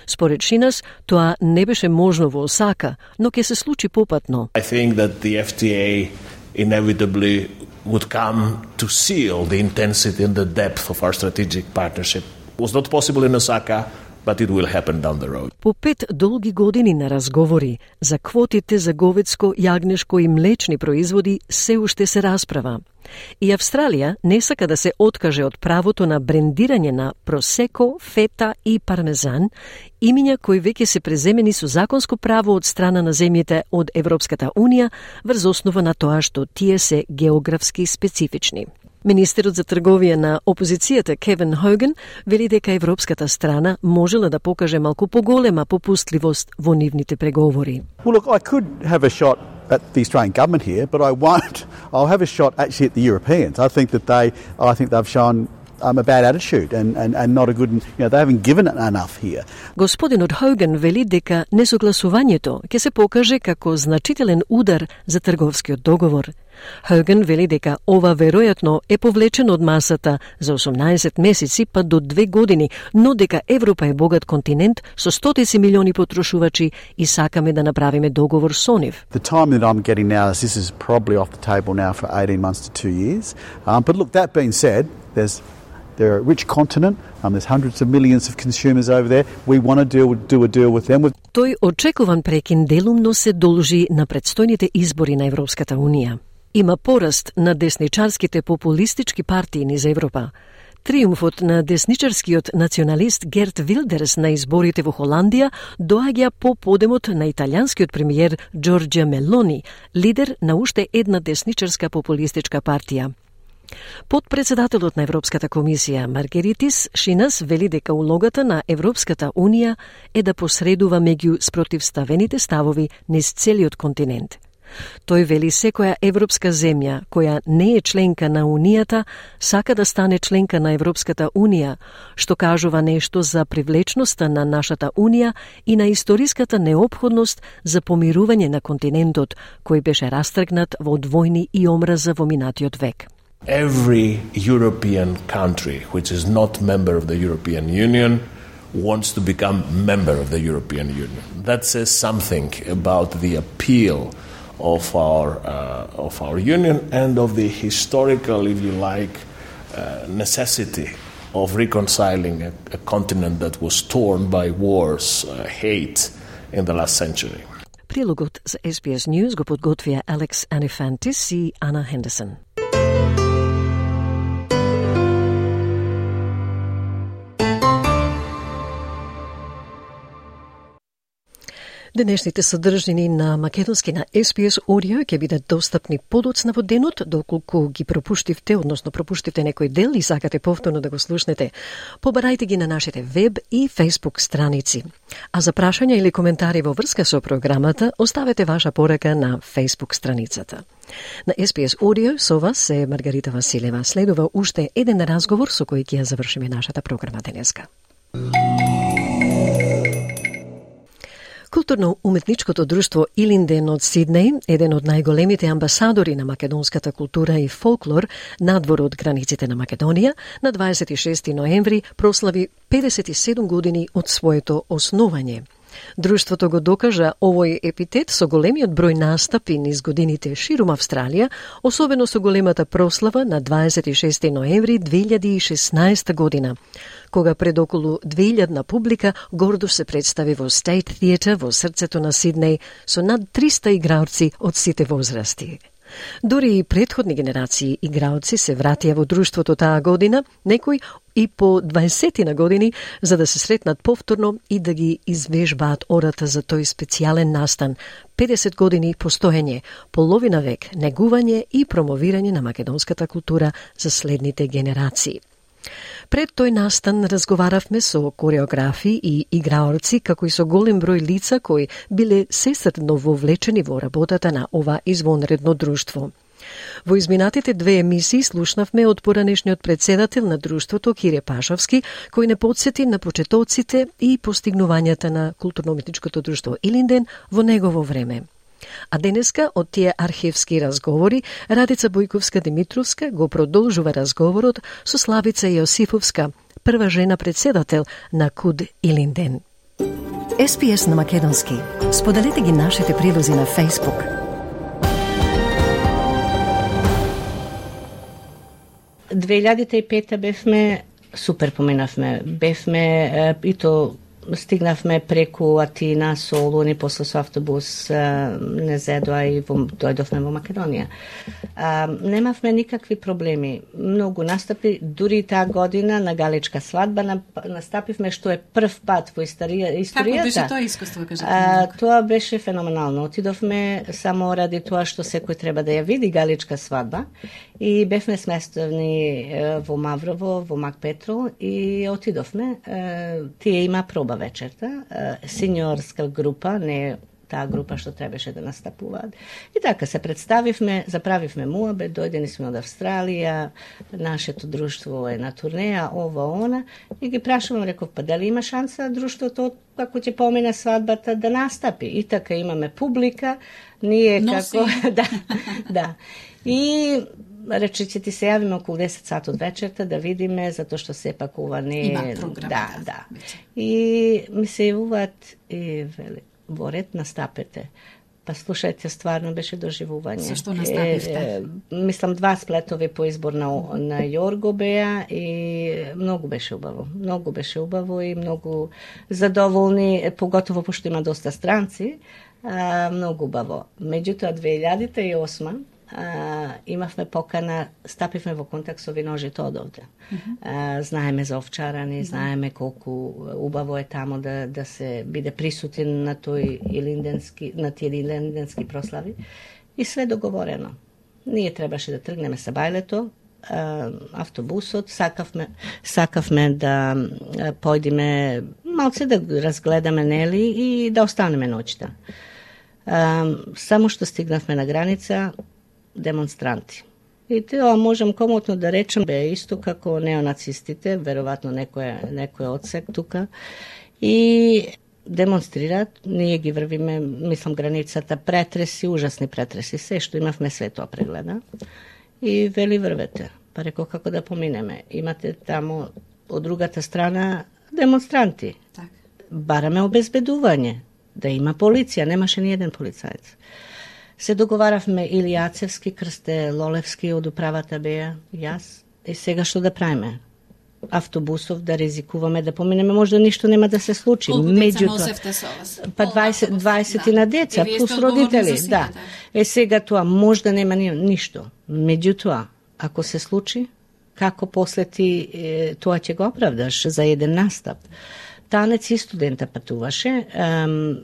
Според Шинас, тоа не беше можно во Осака, но ќе се случи попатно. I think that the Еф Ти Ей inevitably would come to seal the intensity and the depth of our strategic partnership. It was not possible in Osaka, but it will happen down the road. По пет долги години на разговори за квотите за говедско, јагнешко и млечни производи се уште се расправа. И Австралија не сака да се откаже од правото на брендирање на просеко, фета и пармезан, имиња кои веќе се преземени со законско право од страна на земјите од Европската Унија врз основа на тоа што тие се географски специфични. Министерот за трговија на опозицијата Кевин Хоген вели дека европската страна можела да покаже малку поголема попустливост во нивните преговори. Well, look, I could have a shot at the Australian government here, but I won't. I'll have a shot actually at the Europeans. I think that they, I think they've shown um, a bad attitude and, and, and not a good, you know, they haven't given it enough here. Господинот Хоген вели дека несогласувањето ќе се покаже како значителен удар за трговскиот договор. Хоген вели дека ова веројатно е повлечено од масата за осумнаесет месеци па до две години, но дека Европа е богат континент со стотици милиони потрошувачи и сакаме да направиме договор со нив. The time that I'm getting now is this is probably off the table now for eighteen months to two years. Um, but look, that being said, there's they're a rich continent. Um, there's hundreds of millions of consumers over there. We want to deal, do a deal with them. With... Тој очекуван прекин делумно се должи на предстојните избори на Европската Унија. Има пораст на десничарските популистички партии низ Европа. Триумфот на десничарскиот националист Герт Вилдерс на изборите во Холандија доаѓа по подемот на италијанскиот премиер Джорџа Мелони, лидер на уште една десничарска популистичка партија. Подпредседателот на Европската комисија Маргеритис Шинас вели дека улогата на Европската Унија е да посредува меѓу спротивставените ставови низ целиот континент. Тој вели секоја европска земја која не е членка на Унијата сака да стане членка на Европската Унија, што кажува нешто за привлечноста на нашата Унија и на историската неопходност за помирување на континентот, кој беше растргнат во војни и омраза во минатиот век. Every European country which is not member of the European Union wants to become member of the European Union. That says something about the appeal of our uh, of our union and of the historical, if you like, uh, necessity of reconciling a, a continent that was torn by wars, uh, hate in the last century. Прилогот за Ес Би Ес News го подготвија Алекс Анифантис и Ана Хендерсон. Денешните содржини на македонски на Ес Би Ес Audio ќе бидат достапни подоцна во денот, доколку ги пропуштивте, односно пропуштивте некој дел и сакате повторно да го слушнете. Побарајте ги на нашите веб и Facebook страници. А за прашања или коментари во врска со програмата, оставете ваша порака на Facebook страницата. На Ес Би Ес Audio со вас е Маргарита Василева. Следува уште еден разговор со кој ќе ја завршиме нашата програма денеска. Културно-уметничкото друштво Илинден од Сиднеј, еден од најголемите амбасадори на македонската култура и фолклор надвор од границите на Македонија, на дваесет и шести ноември прослави педесет и седум години од своето основање. Друштвото го докажа овој епитет со големиот број настапи низ годините ширум Австралија, особено со големата прослава на дваесет и шести ноември две илјади и шеснаесета година, кога пред околу две илјадна публика гордо се представи во State Theatre во срцето на Сиднеј со над триста играорци од сите возрасти. Дури и претходни генерации играоци се вратија во друштвото таа година, некои и по дваесет години, за да се сретнат повторно и да ги извежбаат ората за тој специјален настан, педесет години постоење, половина век негување и промовирање на македонската култура за следните генерации. Пред тој настан разговаравме со кореографи и играорци, како и со голем број лица кои биле сестрно вовлечени во работата на ова извонредно друштво. Во изминатите две емисии слушнавме од поранешниот председател на друштвото Кире Пашовски, кој не подсети на почетоците и постигнувањата на културно-уметничкото друштво Илинден во негово време. А денеска од тие архивски разговори Радица Бојковска-Димитровска го продолжува разговорот со Славица Јосифовска, прва жена председател на КУД Илинден. Ес Пи Ес на македонски. Споделете ги нашите прилози на Facebook. две илјади и пета бевме, супер поминавме, бевме и то стигнавме преку Атина, Солун и после со автобус не зедоа и во, дојдовме во Македонија. А, немавме никакви проблеми. Многу настапи, дури таа година на галичка свадба настапивме, што е прв пат во историја, историјата. Како беше тоа искуство, кажете? А, тоа беше феноменално. Отидовме само ради тоа што секој треба да ја види галичка свадба и бевме сместени во Маврово, во Мак Петрол и отидовме. Тие има проба вечерта, синьорска група, не таа група што требаше да настапуваат. И така се представивме, заправивме муабет, дојдени сме од Австралија, нашето друштво е на турнеја, ова, она, и ги прашувам, реков, па дали има шанса друштвото, како ќе помине свадбата, да настапи? И така имаме публика, ние Носи. како... да, да. И рече, ќе ти се јавиме околу десет сат од вечерта да видиме, затоа што сепак ова не е... Има програма. Да, да. И ми се јавуваат и вели, во ред настапете. Па слушајте, стварно беше доживување. Со што настапивте? Е, е, мислам, два сплетови по избор на, на Јорго беа и многу беше убаво. Многу беше убаво и многу задоволни, поготово пошто има доста странци, а, многу убаво. Меѓутоа, две илјади и осма Uh, имавме покана, стапивме во контакт со виножите од овде. Mm-hmm. Uh, знаеме за овчарани, mm-hmm. знаеме колку убаво е тамо да, да се биде присутен на тој илинденски, на тие илинденски прослави. И све договорено. Ние требаше да тргнеме со бајлето, uh, автобусот, сакавме, сакавме да uh, појдеме малце да разгледаме, нели, и да останеме ноќта. Uh, само што стигнавме на граница, демонстранти. И тоа можам комотно да речем бе исто како неонацистите, веројатно некој некој одсек тука, и демонстрираат, ние ги врвиме, мислам, границата, претреси, ужасни претреси, се што имавме, све тоа прегледа. И вели врвете. Па реко како да поминеме. Имате тамо од другата страна демонстранти. Так. Бараме обезбедување, да има полиција, немаше ни еден полицаец. Се договаравме или Јацевски, Крсте Лолевски од управата беа, јас, и сега што да правиме? Автобусов да ризикуваме да поминеме, можда ништо нема да се случи. Колку деца Меѓутоа, носевте со вас? Па дваесет, дваесет да. на деца, И плюс родители, да. Е сега тоа можда нема ни, ништо. Меѓутоа, ако се случи, како после ти е, тоа ќе го оправдаш за еден настап? Танец и студента патуваше,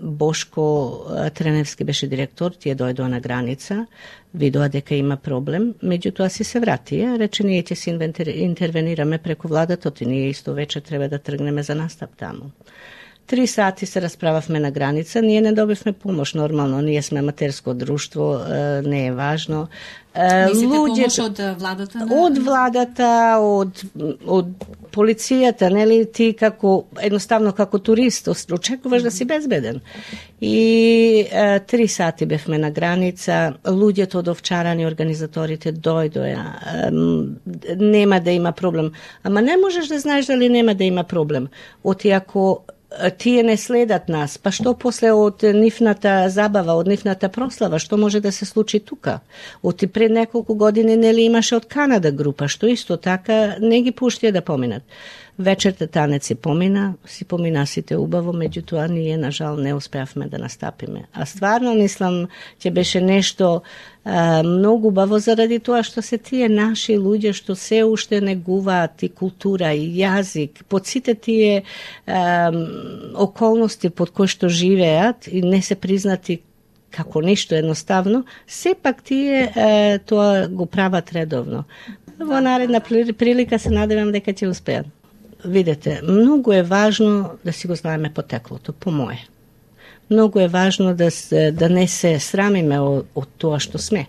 Бошко Треневски беше директор, тие дојдоа на граница, видоа дека има проблем, меѓутоа си се вратија, рече ние ќе се интервенираме преку владата, и ние исто вечер треба да тргнеме за настап таму. Три сати се расправавме на граница, ние не добивме помош, нормално, ние сме аматерско друштво, не е важно. Мислите Луѓето, помош од владата? На... Од владата, од, од полицијата, нели, ти како, едноставно како турист, очекуваш да си безбеден. И е, три сати бевме на граница, луѓето од овчарани, организаторите дојдоја, е, нема да има проблем. Ама не можеш да знаеш дали нема да има проблем. Оти ако тие не следат нас, па што после од нивната забава, од нивната прослава, што може да се случи тука? Оти пред неколку години нели имаше од Канада група, што исто така не ги пуштија да поминат. Вечерта танец си помина, си помина сите убаво, меѓутоа ние на жал не успеавме да настапиме. А стварно мислам ќе беше нешто а, многу убаво заради тоа што се тие наши луѓе што се уште негуваат и култура и јазик, под сите тие а, околности под кои што живеат и не се признати како ништо едноставно, сепак тие а, тоа го прават редовно. Во наредна прилика се надевам дека ќе успеат. Видете, многу е важно да си го знаеме потеклото, по мое. Многу е важно да, да не се срамиме од, од тоа што сме.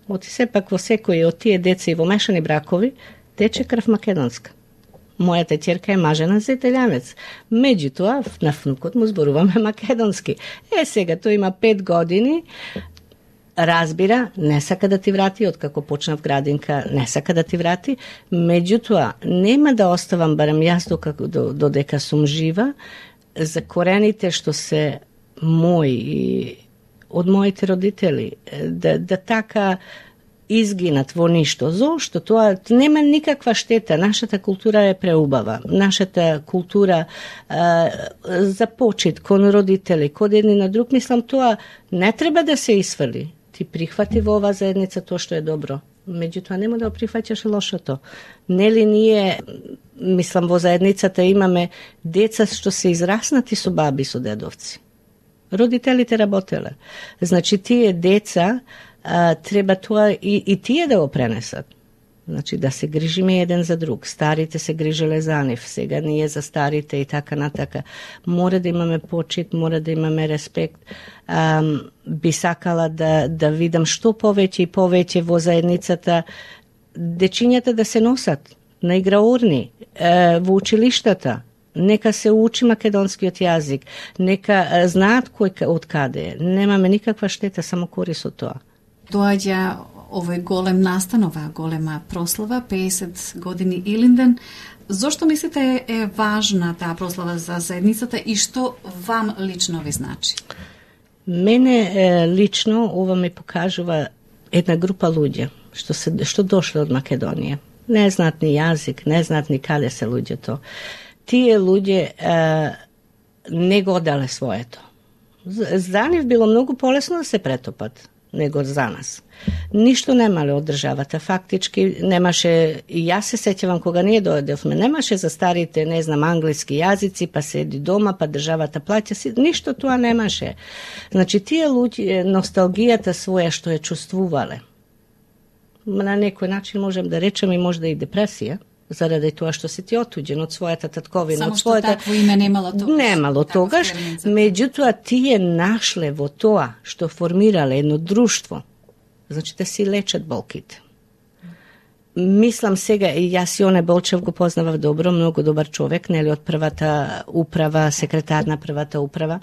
Оти сепак во секој од тие деца и во мешани бракови тече крв македонска. Мојата ќерка е мажена за италијанец. Меѓутоа, на внукот му зборуваме македонски. Е, сега тој има пет години, разбира, не сака да ти врати, откако почнав градинка, не сака да ти врати, меѓутоа, нема да оставам, барем јас докако, додека сум жива, за корените што се мои и од моите родители, да, да така изгинат во ништо. Зошто? Тоа нема никаква штета. Нашата култура е преубава. Нашата култура а, за почит кон родители, кон едни на друг, мислам, тоа не треба да се исфрли. Ти прихвати во оваа заедница тоа што е добро. Меѓутоа нема да прифаќаш лошото. Нели ние, мислам, во заедницата имаме деца што се израснати со баби, со дедовци. Родителите работеле. Значи тие деца а, треба тоа и, и тие да го пренесат. Значи да се грижиме еден за друг. Старите се грижеле за нив, сега ние за старите и така натака. Мора да имаме почит, мора да имаме респект. Um, би сакала да, да видам што повеќе и повеќе во заедницата дечињата да се носат на играурни, е, во училиштата, нека се учи македонскиот јазик, нека е, знаат кој од каде е. Немаме никаква штета, само корис од тоа. Доаѓа овој голем настан, оваа голема прослава, пеесет години Илинден. Зошто мислите е важна таа прослава за заедницата и што вам лично ви значи? Мене е, лично ова ми покажува една група луѓе што се што дошле од Македонија. Не знаат ни јазик, не знаат ни каде се луѓето. Тие луѓе е, не го одале своето. За нив било многу полесно да се претопат него за нас. Ништо немале од државата, фактички немаше, и јас се сеќавам кога ние дојдевме, немаше за старите, не знам, англиски јазици, па седи дома, па државата плаќа си, ништо тоа немаше. Значи, тие луѓе, носталгијата своја што ја чувствувале, на некој начин можем да речем и можда и депресија, заради тоа што си ти отуѓен од својата татковина, само од својата... Само што такво име немало тогаш. Немало тогаш, меѓутоа тие нашле во тоа што формирале едно друштво, значи да си лечат болките. Мислам сега, и јас Јоне Болчев го познавав добро, многу добар човек, нели од првата управа, секретар на првата управа,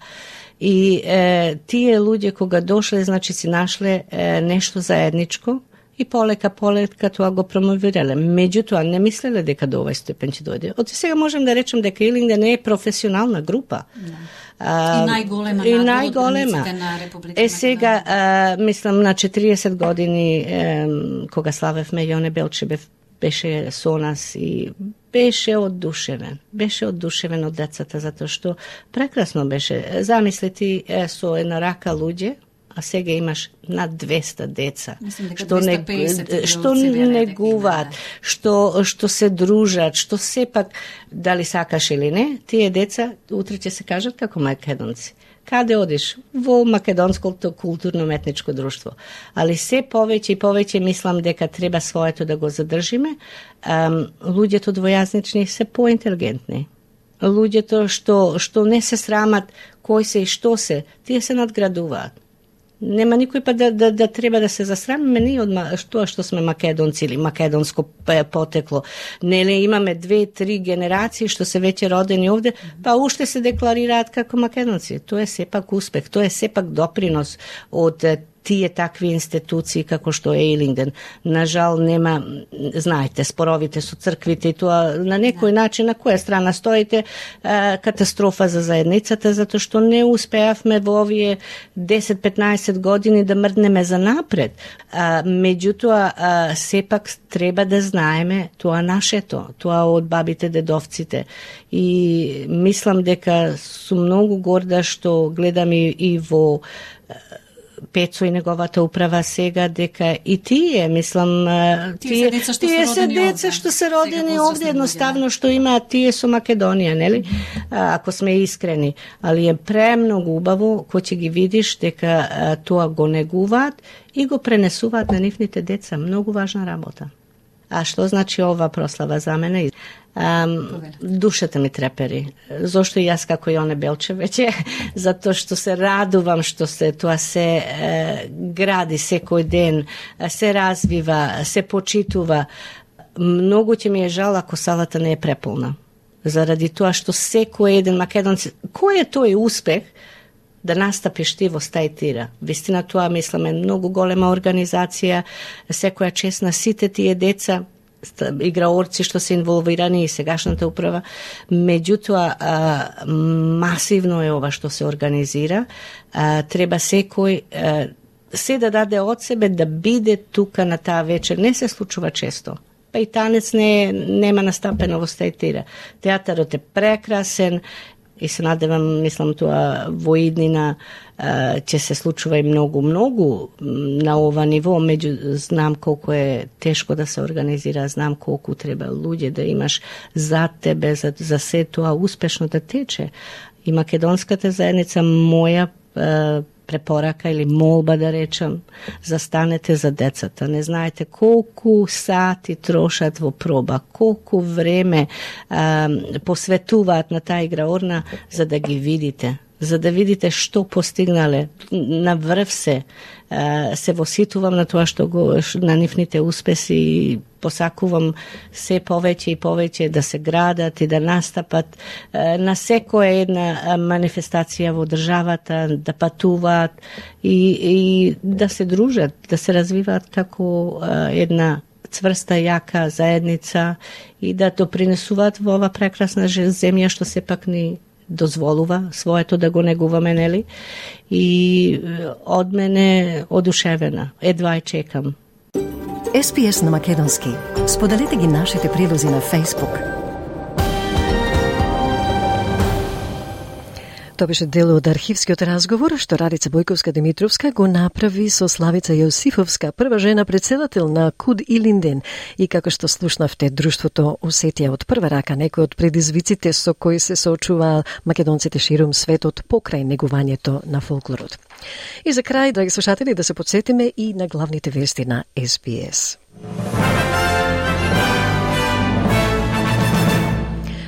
и е, тие луѓе кога дошле, значи си нашле е, нешто заедничко, и полека, полека тоа го промовирале. Меѓутоа, не мислеле дека до овај степен ќе дојде. Од сега можем да речем дека Илинден не е професионална група. Да. А, и најголема и најголема. На Република Е сега, а, мислам, на четириесет години, е, кога славевме, Јоне Белчебев беше со нас и беше оддушевен. Беше оддушевен од децата, затоа што прекрасно беше. Замисли ти е, со една рака луѓе, а сега имаш над двеста деца, што не што негуваат, што што се дружат, што сепак дали сакаш или не, тие деца утре ќе се кажат како македонци. Каде одиш? Во македонското културно-метничко друштво. Али се повеќе и повеќе мислам дека треба своето да го задржиме. Um, луѓето двојазнични се поинтелигентни. Луѓето што што не се срамат кој се и што се, тие се надградуваат. Нема никој па да, да, да треба да се засрамиме ние од тоа што сме македонци или македонско потекло. Нели имаме две, три генерации што се веќе родени овде, па уште се декларираат како македонци. Тоа е сепак успех, тоа е сепак допринос од тие такви институции како што е Ейлингден. Нажал нема, знаете, споровите со црквите и тоа на некој начин на која страна стоите, катастрофа за заедницата, затоа што не успеавме во овие десет-петнаесет години да мрднеме за напред. Меѓутоа, сепак треба да знаеме тоа нашето, тоа од бабите, дедовците. И мислам дека сум многу горда што гледам и, и во Пецо и неговата управа сега, дека и тие, мислам, тие, тие, тие се деца што се родени овде, едноставно што имаат тие со Македонија, нели? Ако сме искрени. Али е премногу убаво кој ќе ги видиш дека тоа го негуваат и го пренесуваат на нивните деца. Многу важна работа. А што значи ова прослава за мене? Um, душата ми трепери. Зошто и јас како Јоне Белчевеќе? Затоа што се радувам што се тоа се е, гради секој ден, се развива, се почитува. Многу ќе ми е жал ако салата не е преполна. Заради тоа што секој еден македонец, кој е тој успех да настапиш ти во Стајтира? Вистина тоа, мислам, е многу голема организација, секоја чест на сите тие деца, играорци што се инволвирани и сегашната управа. Меѓутоа, а, масивно е ова што се организира. А, треба секој а, се да даде од себе да биде тука на таа вечер. Не се случува често. Па и танец не, нема настапено во Стајтира. Театарот е прекрасен и се надевам, мислам, тоа во иднина ќе се случува и многу-многу на ова ниво, меѓу знам колку е тешко да се организира, знам колку треба луѓе да имаш за тебе, за, за се тоа успешно да тече. И македонската заедница, моја е, препорака или молба да речам, застанете за децата. Не знаете колку сати трошат во проба, колку време е, посветуваат на таа играорна за да ги видите, за да видите што постигнале. На врв се, се воситувам на тоа што го, на нивните успеси и посакувам се повеќе и повеќе да се градат и да настапат на секоја една манифестација во државата, да патуваат и, и да се дружат, да се развиваат како една цврста, јака заедница и да допринесуваат во ова прекрасна земја што сепак ни дозволува своето да го негуваме, нели? И од мене одушевена. Едва ја чекам. Ес Пи Ес на македонски. Споделете ги нашите прилози на Facebook. Тоа беше дел од архивскиот разговор што Радица Бојковска-Димитровска го направи со Славица Јосифовска, прва жена председател на КУД Илинден. И како што слушнавте, друштвото усетија од прва рака некои од предизвиците со кои се соочуваа македонците ширум светот покрај негувањето на фолклорот. И за крај, драги слушатели, да се потсетиме и на главните вести на Ес Би Ес.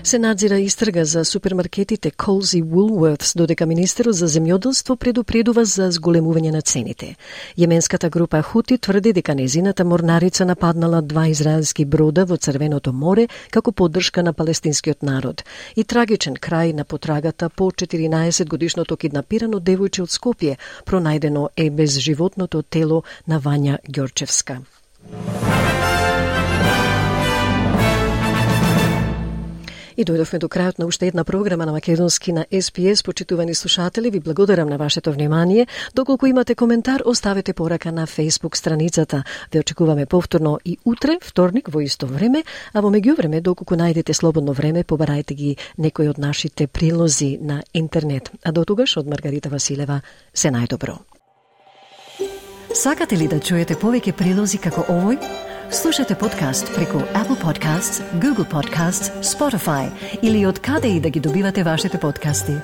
Се надзира истрага за супермаркетите Coles и Woolworths, додека Министерот за земјоделство предупредува за зголемување на цените. Јеменската група Хути тврди дека незината морнарица нападнала два израелски брода во Црвеното море како поддршка на палестинскиот народ. И трагичен крај на потрагата по четиринаесет годишното киднапирано девојче од Скопје, пронајдено е без животното тело на Вања Ѓорчевска. И дојдовме до крајот на уште една програма на македонски на Ес Би Ес. Почитувани слушатели, ви благодарам на вашето внимание. Доколку имате коментар, оставете порака на Facebook страницата. Ве очекуваме повторно и утре, вторник, во исто време, а во меѓувреме, доколку најдете слободно време, побарајте ги некои од нашите прилози на интернет. А до тогаш, од Маргарита Василева, се најдобро. Сакате ли да чуете повеќе прилози како овој? Слушате подкаст преку Apple Podcasts, Google Podcasts, Spotify или од каде и да ги добивате вашите подкасти.